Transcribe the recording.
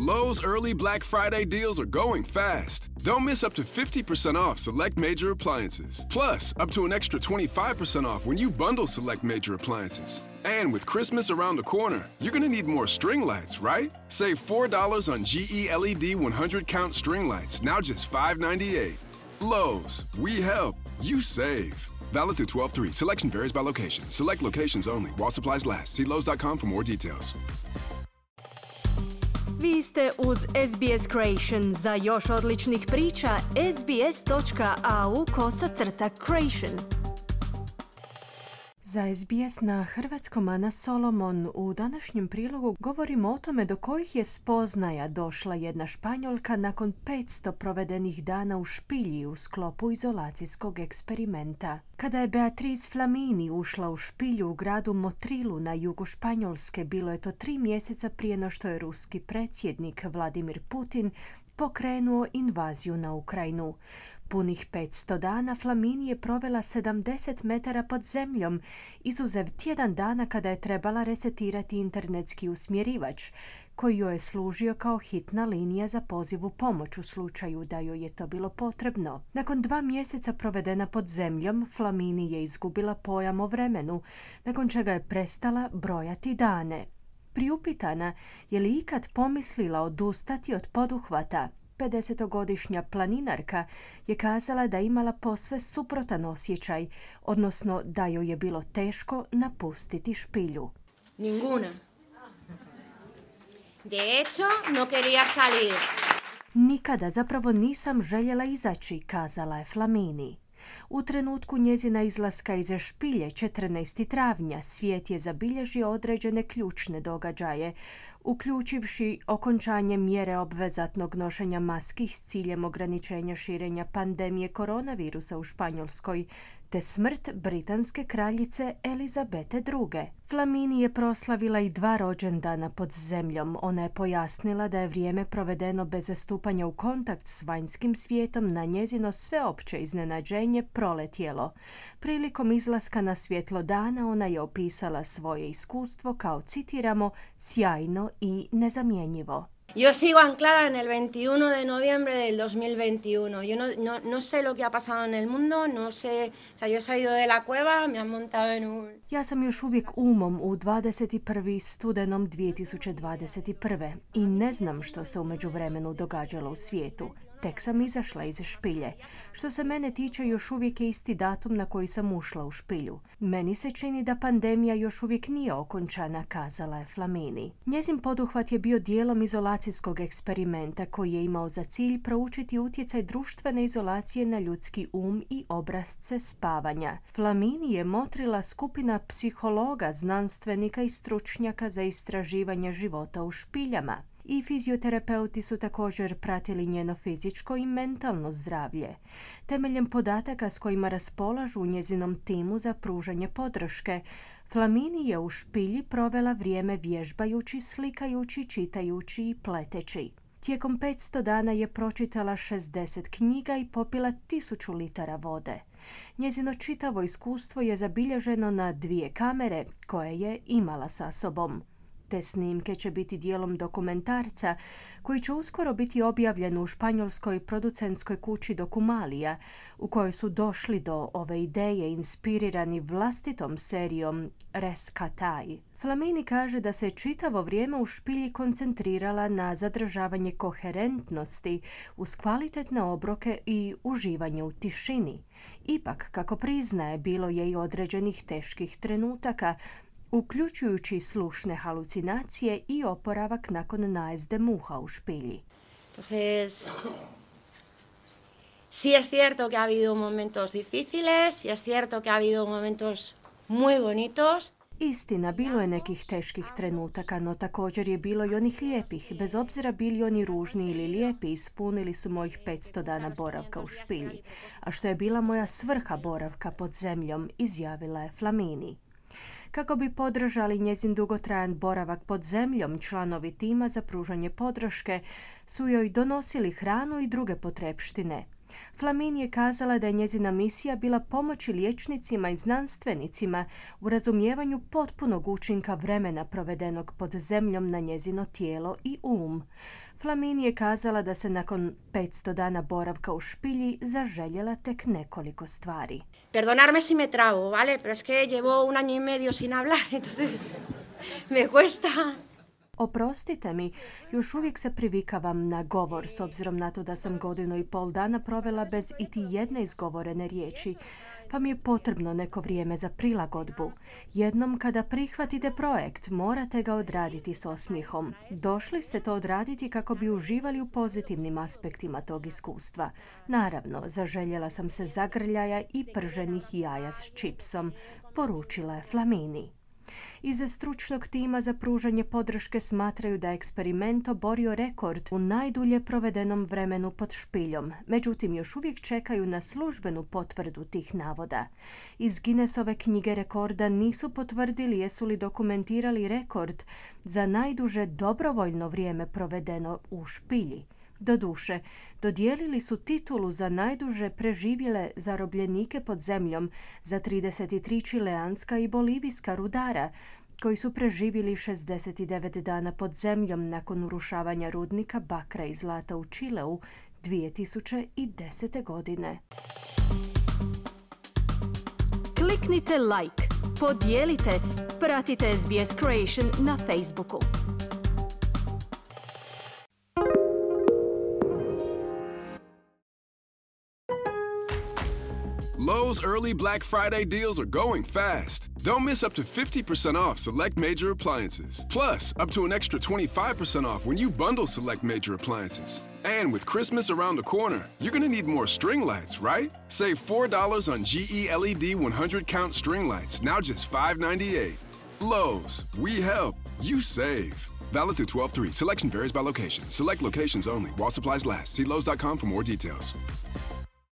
Lowe's early Black Friday deals are going fast. Don't miss up to 50% off select major appliances. Plus, up to an extra 25% off when you bundle select major appliances. And with Christmas around the corner, you're going to need more string lights, right? Save $4 on GE LED 100 count string lights, now just $5.98. Lowe's, we help, you save. Valid through 12/3. Selection varies by location. Select locations only. While supplies last. See Lowe's.com for more details. Vi ste uz SBS Creation. Za još odličnih priča, sbs.au/creation. Za SBS na hrvatskom Ana Solomon u današnjem prilogu govorimo o tome do kojih je spoznaja došla jedna Španjolka nakon 500 provedenih dana u špilji u sklopu izolacijskog eksperimenta. Kada je Beatriz Flamini ušla u špilju u gradu Motrilu na jugu Španjolske, bilo je to 3 mjeseca prije no što je ruski predsjednik Vladimir Putin pokrenuo invaziju na Ukrajinu. Punih 500 dana Flamini je provela 70 metara pod zemljom, izuzev tjedan dana kada je trebala resetirati internetski usmjerivač, koji joj je služio kao hitna linija za poziv u pomoć u slučaju da joj je to bilo potrebno. Nakon 2 mjeseca provedena pod zemljom, Flamini je izgubila pojam o vremenu, nakon čega je prestala brojati dane. Priupitana je li ikad pomislila odustati od poduhvata, 50-godišnja planinarka je kazala da je imala posve suprotan osjećaj, odnosno da joj je bilo teško napustiti špilju. Ninguna. De hecho, no quería salir. Nikada, zapravo nisam željela izaći, kazala je Flamini. U trenutku njezina izlaska iz špilje 14. travnja svijet je zabilježio određene ključne događaje, uključivši okončanje mjere obvezatnog nošenja maski s ciljem ograničenja širenja pandemije koronavirusa u Španjolskoj, te smrt britanske kraljice Elizabete II. Flamini je proslavila i 2 rođendana pod zemljom. Ona je pojasnila da je vrijeme provedeno bez stupanja u kontakt s vanjskim svijetom na njezino sveopće iznenađenje proletjelo. Prilikom izlaska na svjetlo dana ona je opisala svoje iskustvo kao, citiramo, sjajno i nezamjenjivo. Yo sigo anclada en el 21 de noviembre del 2021. Yo no sé lo que ha pasado en el mundo, no sé, o sea, yo he salido de la cueva, me han montado en un... Ja sam još uvijek umom u 21. studenom 2021. i ne znam što se u međuvremenu događalo u svijetu. Tek sam izašla iz špilje. Što se mene tiče, još uvijek je isti datum na koji sam ušla u špilju. Meni se čini da pandemija još uvijek nije okončana, kazala je Flamini. Njezin poduhvat je bio dijelom izolacijskog eksperimenta koji je imao za cilj proučiti utjecaj društvene izolacije na ljudski i obrasce spavanja. Flamini je motrila skupina psihologa, znanstvenika i stručnjaka za istraživanje života u špiljama. I fizioterapeuti su također pratili njeno fizičko i mentalno zdravlje. Temeljem podataka s kojima raspolažu u njezinom timu za pružanje podrške, Flamini je u špilji provela vrijeme vježbajući, slikajući, čitajući i pleteći. Tijekom 500 dana je pročitala 60 knjiga i popila 1000 litara vode. Njezino čitavo iskustvo je zabilježeno na 2 kamere koje je imala sa sobom. Te snimke će biti dijelom dokumentarca koji će uskoro biti objavljen u španjolskoj producentskoj kući Dokumalija, u kojoj su došli do ove ideje inspirirani vlastitom serijom Rescatai. Flamini kaže da se čitavo vrijeme u špilji koncentrirala na zadržavanje koherentnosti uz kvalitetne obroke i uživanje u tišini. Ipak, kako priznaje, bilo je i određenih teških trenutaka, uključujući slušne halucinacije i oporavak nakon najezde muha u špilji. Entonces, sí es cierto que ha habido momentos difíciles, sí es cierto que ha habido momentos muy bonitos. Istina, bilo je nekih teških trenutaka, no također je bilo i onih lijepih. Bez obzira bili oni ružni ili lijepi, ispunili su mojih 500 dana boravka u špilji. A što je bila moja svrha boravka pod zemljom, izjavila je Flamini. Kako bi podržali njezin dugotrajan boravak pod zemljom, članovi tima za pružanje podrške su joj donosili hranu i druge potrepštine. Flamini je kazala da je njezina misija bila pomoći liječnicima i znanstvenicima u razumijevanju potpunog učinka vremena provedenog pod zemljom na njezino tijelo i Flamini je kazala da se nakon 500 dana boravka u špilji zaželjela tek nekoliko stvari. Perdonarme si me trabo, ¿vale? Pero es que llevo 1 año y medio sin hablar, entonces me cuesta. Oprostite mi, još uvijek se privikavam na govor s obzirom na to da sam 1,5 godina provela bez iti jedne izgovorene riječi, pa mi je potrebno neko vrijeme za prilagodbu. Jednom kada prihvatite projekt, morate ga odraditi s osmijehom. Došli ste to odraditi kako bi uživali u pozitivnim aspektima tog iskustva. Naravno, zaželjela sam se zagrljaja i prženih jaja s čipsom, poručila je Flamini. Iz stručnog tima za pružanje podrške smatraju da je eksperiment oborio rekord u najdulje provedenom vremenu pod špiljom, međutim još uvijek čekaju na službenu potvrdu tih navoda. Iz Guinnessove knjige rekorda nisu potvrdili jesu li dokumentirali rekord za najduže dobrovoljno vrijeme provedeno u špilji. Doduše, dodijelili su titulu za najduže preživjele zarobljenike pod zemljom za 33 čileanska i bolivijska rudara, koji su preživjeli 69 dana pod zemljom nakon urušavanja rudnika bakra i zlata u Čileu 2010. godine. Kliknite like, podijelite, pratite SBS Creation na Facebooku. Lowe's early Black Friday deals are going fast. Don't miss up to 50% off select major appliances. Plus, up to an extra 25% off when you bundle select major appliances. And with Christmas around the corner, you're going to need more string lights, right? Save $4 on GE LED 100-count string lights, now just $5.98. Lowe's, we help, you save. Valid through 12/3. Selection varies by location. Select locations only. While supplies last. See Lowe's.com for more details.